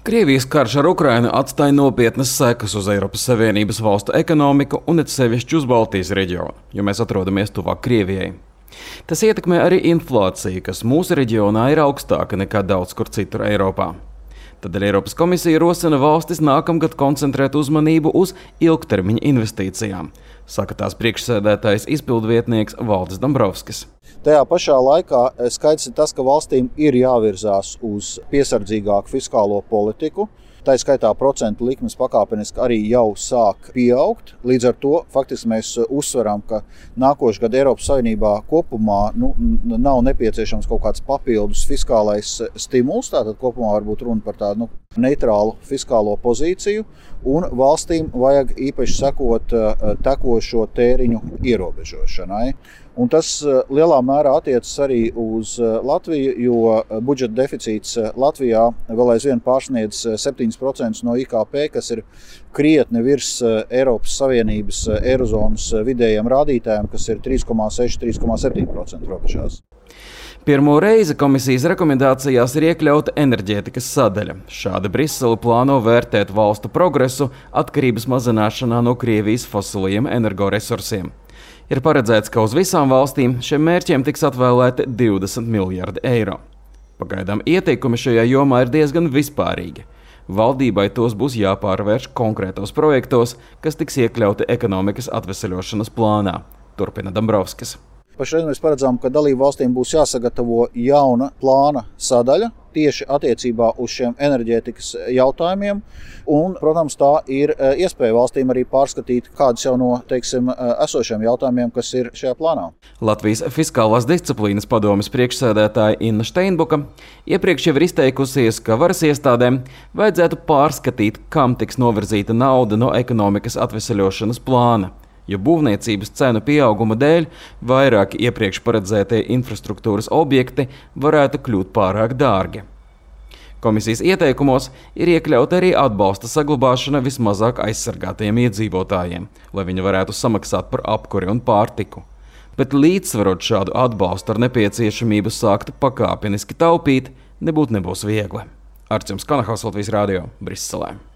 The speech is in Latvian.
Krievijas karš ar Ukrainu atstāja nopietnas sekas uz Eiropas Savienības valstu ekonomiku un it sevišķi uz Baltijas reģionu, jo mēs atrodamies tuvāk Krievijai. Tas ietekmē arī inflāciju, kas mūsu reģionā ir augstāka nekā daudz kur citur Eiropā. Tādēļ Eiropas komisija rosina valstis nākamgad koncentrēt uzmanību uz ilgtermiņa investīcijām, saka tās priekšsēdētājs izpildvietnieks Valdis Dombrovskis. Tajā pašā laikā skaidrs ir tas, ka valstīm ir jāvirzās uz piesardzīgāku fiskālo politiku. Tā skaitā procentu likmes pakāpeniski arī jau sāk pieaugt. Līdz ar to faktiski mēs uzsveram, ka nākošais gads Eiropas Savienībā kopumā nav nepieciešams kaut kāds papildus fiskālais stimuls. Tātad kopumā var būt runa par tādu neitrālu fiskālo pozīciju, un valstīm vajag īpaši sekot tekošo tēriņu ierobežošanai. Un tas lielā mērā attiecas arī uz Latviju, jo budžeta deficīts Latvijā vēl aizvien pārsniedz 7% no IKP, kas ir krietni virs Eiropas Savienības eirozonas vidējiem rādītājiem, kas ir 3,6–3,7% robežās. Pirmo reizi komisijas rekomendācijās ir iekļauta enerģētikas sadaļa. Šādi Brisele plāno vērtēt valstu progresu atkarības mazināšanā no Krievijas fosilajiem energoresursiem. Ir paredzēts, ka uz visām valstīm šiem mērķiem tiks atvēlēti 20 miljardi eiro. Pagaidām ieteikumi šajā jomā ir diezgan vispārīgi. Valdībai tos būs jāpārvērš konkrētos projektos, kas tiks iekļauti ekonomikas atveseļošanas plānā, turpina Dombrovskis. Pašreiz mēs paredzam, ka dalību valstīm būs jāsagatavo jauna plāna sadaļa tieši attiecībā uz šiem enerģētikas jautājumiem. Un, protams, tā ir iespēja valstīm arī pārskatīt kādus jau no, esošiem jautājumiem, kas ir šajā plānā. Latvijas fiskālās disciplīnas padomes priekšsēdētāja Inna Steinbuka iepriekš jau ir izteikusies, ka varas iestādēm vajadzētu pārskatīt, kam tiks novirzīta nauda no ekonomikas atveseļošanas plāna, jo būvniecības cenu pieauguma dēļ vairāki iepriekš paredzētie infrastruktūras objekti varētu kļūt pārāk dārgi. Komisijas ieteikumos ir iekļauta arī atbalsta saglabāšana vismazāk aizsargātajiem iedzīvotājiem, lai viņi varētu samaksāt par apkuri un pārtiku. Bet līdzsvarot šādu atbalstu ar nepieciešamību sākt pakāpeniski taupīt, nebūs viegli. Arčuns Kanahaus, Latvijas radio, Briselē.